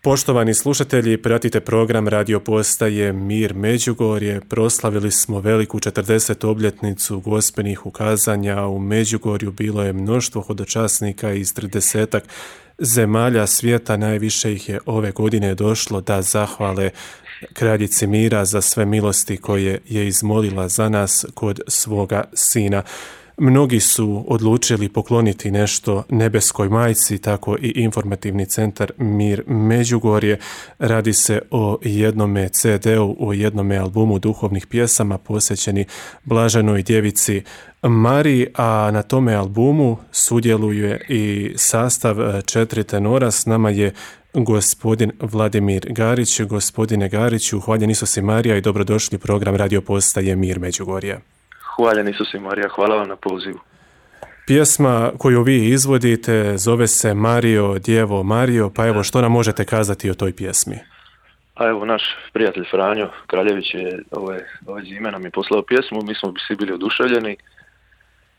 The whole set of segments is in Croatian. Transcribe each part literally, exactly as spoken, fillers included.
Poštovani slušatelji, pratite program radio postaje Mir Međugorje. Proslavili smo veliku četrdesetu obljetnicu gospelnih ukazanja. U Međugorju bilo je mnoštvo hodočasnika iz tridesetak zemalja svijeta. Najviše ih je ove godine došlo da zahvale kraljici mira za sve milosti koje je izmolila za nas kod svoga sina. Mnogi su odlučili pokloniti nešto nebeskoj majci, tako i informativni centar Mir Međugorje. Radi se o jednome ce de-u, o jednome albumu duhovnih pjesama posvećeni Blaženoj djevici Mariji, a na tome albumu sudjeluje i sastav četiri tenora. S nama je gospodin Vladimir Garić. Gospodine Gariću, hvaljen Isus i Marija i dobrodošli u program radio postaje Mir Međugorje. Hvaljen Isus i Marija, hvala vam na pozivu. Pjesma koju vi izvodite zove se Mario, Djevo Mario, pa evo što nam možete kazati o toj pjesmi? A evo naš prijatelj Franjo Kraljević je ove, ove zime nam je poslao pjesmu, mi smo svi bili oduševljeni.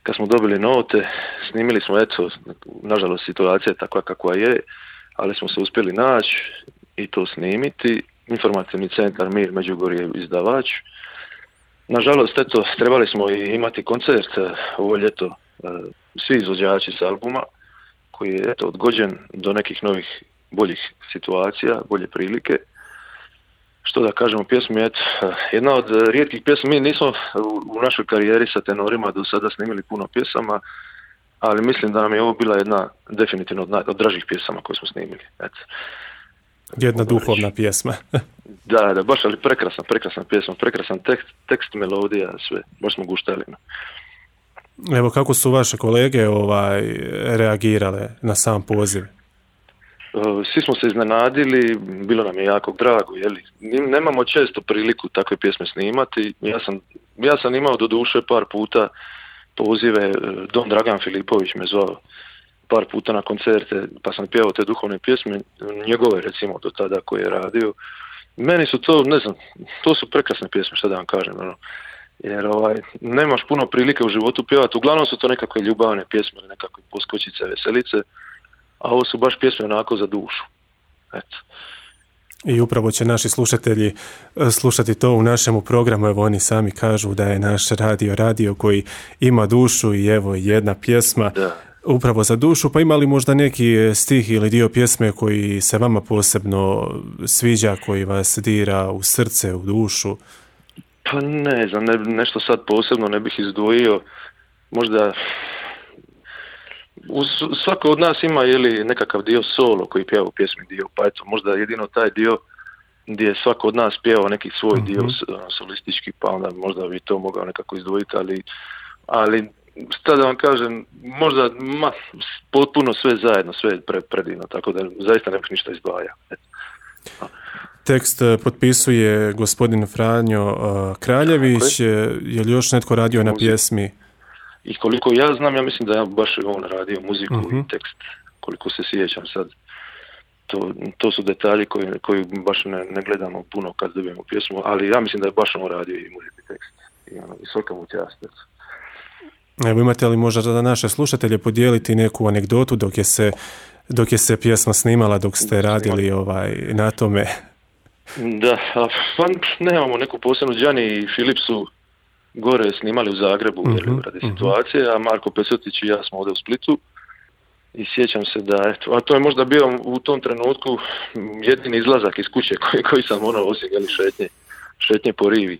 Kad smo dobili note, snimili smo, eto, nažalost situacija je takva kakva je, ali smo se uspjeli naći i to snimiti. Informativni centar Mir Međugorje izdavač. Nažalost, eto, trebali smo i imati koncert ovo ljeto, svi izvođači s albuma, koji je, eto, odgođen do nekih novih, boljih situacija, bolje prilike. Što da kažemo, pjesmi je, eto, jedna od rijetkih pjesmi. Mi nismo u našoj karijeri sa tenorima do sada snimili puno pjesama, ali mislim da nam je ovo bila jedna definitivno od, naj, od dražih pjesama koje smo snimili, eto. Jedna duhovna pjesma. Da, da, baš, ali prekrasna, prekrasna pjesma, prekrasan tekst, tekst, melodija, sve, baš smo guštali. Evo, kako su vaše kolege ovaj, reagirale na sam poziv? Svi smo se iznenadili, bilo nam je jako drago, jeli. Nemamo često priliku takve pjesme snimati. Ja sam, ja sam imao do duše par puta pozive, Don Dragan Filipović me zvao par puta na koncerte, pa sam pjevao te duhovne pjesme, njegove recimo do tada koje je radio. Meni su to, ne znam, to su prekrasne pjesme, šta da vam kažem, ono. Jer ovaj, nemaš puno prilike u životu pjevati, uglavnom su to nekakve ljubavne pjesme, nekakve poskočice, veselice, a ovo su baš pjesme onako za dušu. Eto. I upravo će naši slušatelji slušati to u našemu programu. Evo, oni sami kažu da je naš radio radio koji ima dušu i evo jedna pjesma. Da. Upravo za dušu, pa ima li možda neki stih ili dio pjesme koji se vama posebno sviđa, koji vas dira u srce, u dušu? Pa ne znam, ne, nešto sad posebno ne bih izdvojio. Možda svako od nas ima jeli, nekakav dio solo koji pjeva u pjesmi dio, pa eto, možda jedino taj dio gdje je svako od nas pjevao neki svoj mm-hmm. dio solistički, pa onda možda bi to mogao nekako izdvojiti, ali, ali šta da vam kažem, možda ma, potpuno sve zajedno, sve pre, predivno, tako da zaista ne bih ništa izdvajao. Tekst potpisuje gospodin Franjo uh, Kraljević. Je li još netko radio na pjesmi? I koliko ja znam, ja mislim da je baš on radio muziku uh-huh. i tekst, koliko se sjećam sad. To, to su detalji koji, koji baš ne, ne gledamo puno kad dobijemo pjesmu, ali ja mislim da je baš on radio i muziku i tekst. I, ono, i svaka mu čast. Evo, imate li možda za naše slušatelje podijeliti neku anegdotu dok je se, dok je se pjesma snimala, dok ste radili ovaj, na tome? Da, pa nemamo neku posebnu. Đani i Filip su gore snimali u Zagrebu uh-huh, jer, radi uh-huh. situacije, a Marko Pesotić i ja smo ovdje u Splitu. I sjećam se da, eto, a to je možda bio u tom trenutku jedini izlazak iz kuće koji, koji sam ono osim šetnje, šetnje po rivi.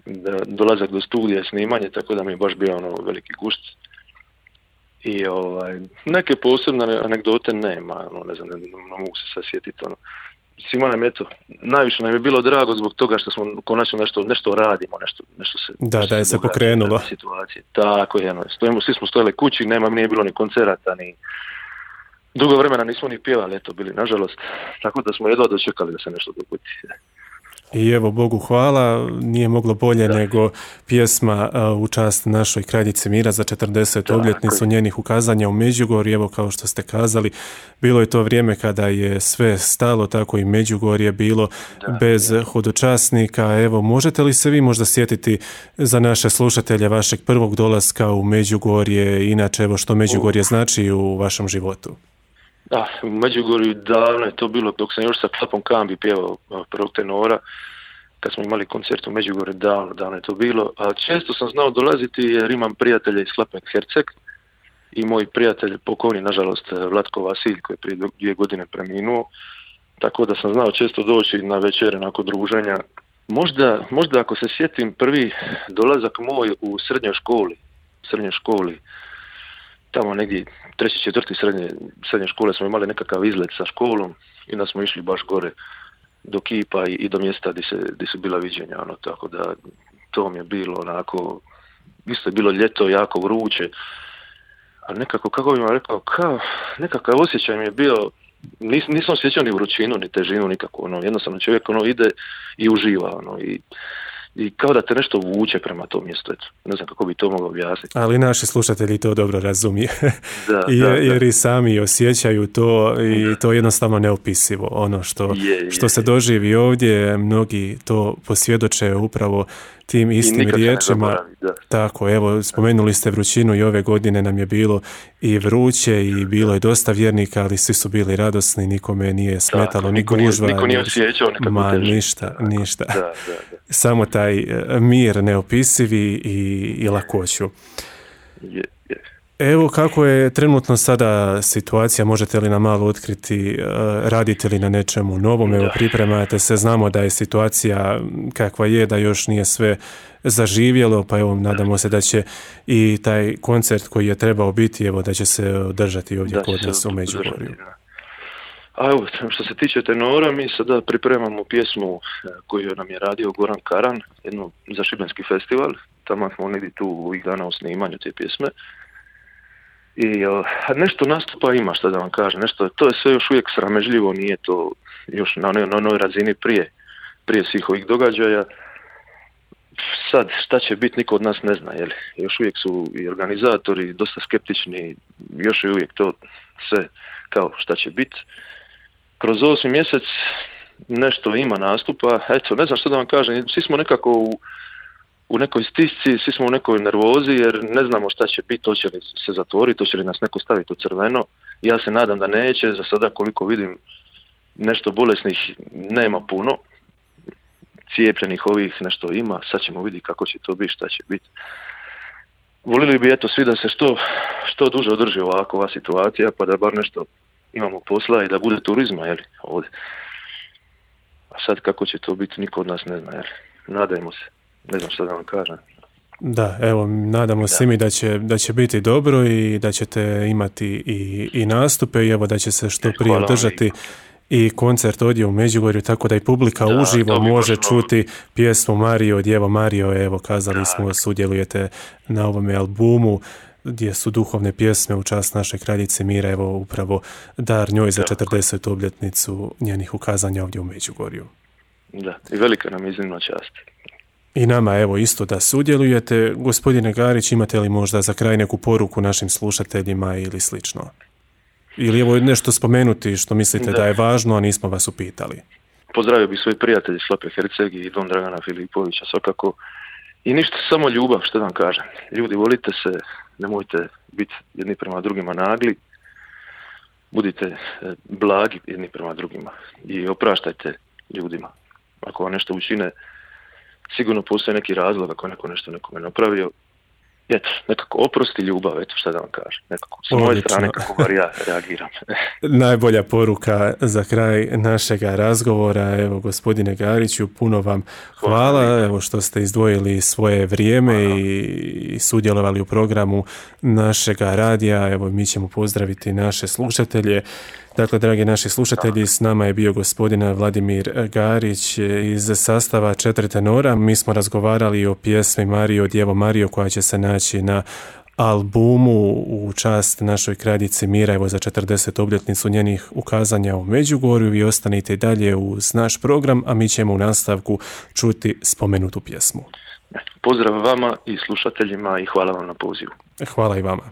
Da, dolazak do studija, snimanje, tako da mi je baš bio ono veliki gušt. I ovaj, neke posebne anegdote nema, ono, ne znam, ne, ne mogu se sad sjetiti, ono. Svima nam je to, najviše nam je bilo drago zbog toga što smo konačno nešto, nešto radimo, nešto, nešto se... Da, nešto da je se pokrenulo. Situacije. Tako je, no, stojimo, svi smo stojali kući, nema, nije bilo ni koncerata, ni... Dugo vremena nismo ni pjevali, eto, bili, nažalost, tako da smo jedva dočekali da se nešto dogodi. I evo, Bogu hvala, nije moglo bolje da. nego pjesma uh, u čast našoj kraljici mira za četrdesetu obljetnicu njenih ukazanja u Međugorju. Evo, kao što ste kazali, bilo je to vrijeme kada je sve stalo, tako i Međugorje bilo da, bez da. hodočasnika. Evo, možete li se vi možda sjetiti za naše slušatelje vašeg prvog dolaska u Međugorje, inače evo što Međugorje znači u vašem životu? A, u Međugorju davno je to bilo, dok sam još sa Klapom Kambi pjevao prvog tenora, kad smo imali koncert u Međugorju, davno, davno je to bilo. A često sam znao dolaziti jer imam prijatelje iz Klape Herceg i moj prijatelj pokojni, nažalost, Vlatko Vasilj, koji je prije dvije godine preminuo, tako da sam znao često doći na večere nakon druženja. Možda, možda ako se sjetim prvi dolazak moj u srednjoj školi, srednjoj školi, tamo negdje treći, četvrti srednje, srednje škole smo imali nekakav izlet sa školom i onda smo išli baš gore do kipa i, i do mjesta gdje, se, gdje su bila viđenja, ono, tako da to mi je bilo onako, isto je bilo ljeto, jako vruće, ali nekako, kako bih vam rekao, kao, nekakav osjećaj mi je bio, nis, nisam osjećao ni vrućinu, ni težinu, nikako, ono, jednostavno čovjek ono ide i uživa, ono, i i kao da te nešto vuče prema tom mjestu, eto. Ne znam kako bi to mogao objasniti. Ali naši slušatelji to dobro razumiju, da, jer, da, jer da. i sami osjećaju to i to je jednostavno neopisivo. Ono što, je, je, što se doživi ovdje, mnogi to posvjedoče upravo tim istim riječima. Tako, evo, spomenuli ste vrućinu i ove godine nam je bilo i vruće i bilo je dosta vjernika, ali svi su bili radosni, nikome nije smetalo, da, ni gužva. Niko nije osjećao nekako ma, težu. ništa, ništa. Da, da, da. Samo taj mir neopisivi i, i lakoću. Je, je. Evo kako je trenutno sada situacija, možete li nam malo otkriti, radite li na nečemu novom, evo pripremate se, znamo da je situacija kakva je, da još nije sve zaživjelo, pa evo nadamo se da će i taj koncert koji je trebao biti, evo da će se održati ovdje da kod nas u Međugorju. A evo, što se tiče tenora, mi sada pripremamo pjesmu koju nam je radio Goran Karan, jednu za Šibenski festival, tamo smo negdje tu ovih dana u snimanju te pjesme. I uh, nešto nastupa ima, što da vam kažem, nešto, to je sve još uvijek sramežljivo, nije to još na onoj, na onoj razini prije, prije svih ovih događaja. Sad, šta će biti, niko od nas ne zna, jel? Još uvijek su i organizatori dosta skeptični, još je uvijek to sve kao šta će biti. Kroz osmi mjesec nešto ima nastupa, eto, ne znam što da vam kažem, svi smo nekako u u nekoj stisci, svi smo u nekoj nervozi jer ne znamo šta će biti, hoće li se zatvoriti, hoće li nas neko staviti u crveno. Ja se nadam da neće, za sada koliko vidim nešto bolesnih nema puno, cijepljenih ovih nešto ima, sad ćemo vidjeti kako će to biti, šta će biti. Volili bi eto svi da se što, što duže održi ovako ova situacija, pa da bar nešto imamo posla i da bude turizma, jel, ovdje. A sad kako će to biti, niko od nas ne zna, jel. Nadajmo se. Ne znam što da vam kažem. Da, evo, nadamo se mi da će, da će biti dobro i da ćete imati i, i nastupe i evo da će se što prije održati i koncert ovdje u Međugorju, tako da i publika da, uživo može čuti pjesmu Mario, Djevo Mario, evo kazali da. smo, sudjelujete na ovome albumu gdje su duhovne pjesme u čast naše kraljice mira, evo upravo dar njoj za četrdesetu obljetnicu njenih ukazanja ovdje u Međugorju. Da, i velika nam iznimna čast. I nama evo isto da sudjelujete. Gospodine Garić, imate li možda za kraj neku poruku našim slušateljima ili slično? Ili evo nešto spomenuti što mislite da, da je važno, a nismo vas upitali? Pozdravio bih svoje prijatelje iz Slape Herceg i Don Dragana Filipovića svakako. I ništa, samo ljubav, što da vam kažem. Ljudi, volite se, nemojte biti jedni prema drugima nagli. Budite blagi jedni prema drugima i opraštajte ljudima. Ako vam nešto učine, sigurno postoji neki razlog ako neko nešto nekome napravio. Eto, nekako oprosti ljubav, eto šta da vam kažem. Nekako s moje strane kako bar ja reagiram. Najbolja poruka za kraj našega razgovora. Evo, gospodine Gariću, puno vam hvala, hvala evo što ste izdvojili svoje vrijeme hvala. i sudjelovali u programu našega radija. Evo, mi ćemo pozdraviti naše slušatelje. Dakle, dragi naši slušatelji, s nama je bio gospodin Vladimir Garić iz sastava Četiri tenora. Mi smo razgovarali o pjesmi Mario, Djevo Mario, koja će se naći na albumu u čast našoj kraljici mira, evo za četrdesetu obljetnicu njenih ukazanja u Međugorju. Vi ostanite i dalje uz naš program, a mi ćemo u nastavku čuti spomenutu pjesmu. Pozdrav vama i slušateljima i hvala vam na pozivu. Hvala i vama.